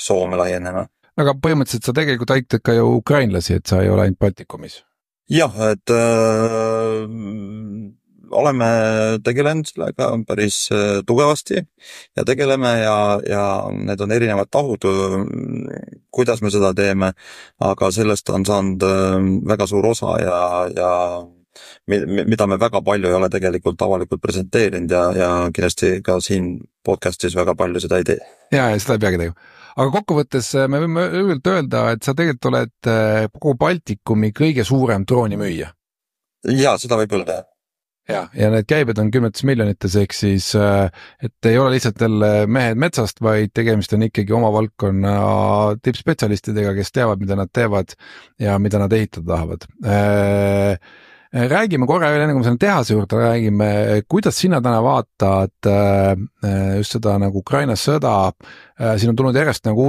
Soome laienema. Aga põhimõtteliselt sa tegelikult aitad ka ju ukrainlasi, et sa ei ole ainult Baltikumis. Jah, et oleme tegelenud sellega päris tugevasti ja tegeleme ja need on erinevad tahud, kuidas me seda teeme, aga sellest on saanud väga suur osa ja mida me väga palju ei ole tegelikult avalikult presenteerinud ja kindlasti ka siin podcastis väga palju seda ei tee. Ja seda ei peagi tegema. Aga kokkuvõttes me võime öelda, et sa tegelikult oled kogu Baltikumi kõige suurem droonimüüja. Ja, seda võib öelda. Ja need käibed on 10 miljonites, ehk siis, et ei ole lihtsalt jälle mehed metsast, vaid tegemist on ikkagi oma valdkonna tippspetsialistidega, kes teavad, mida nad teevad ja mida nad ehitada tahavad. Räägime korra veel enne, kui me selle tehase juurde räägime, kuidas sina täna vaatad just seda nagu Ukraina sõda, siin on tulnud järjest nagu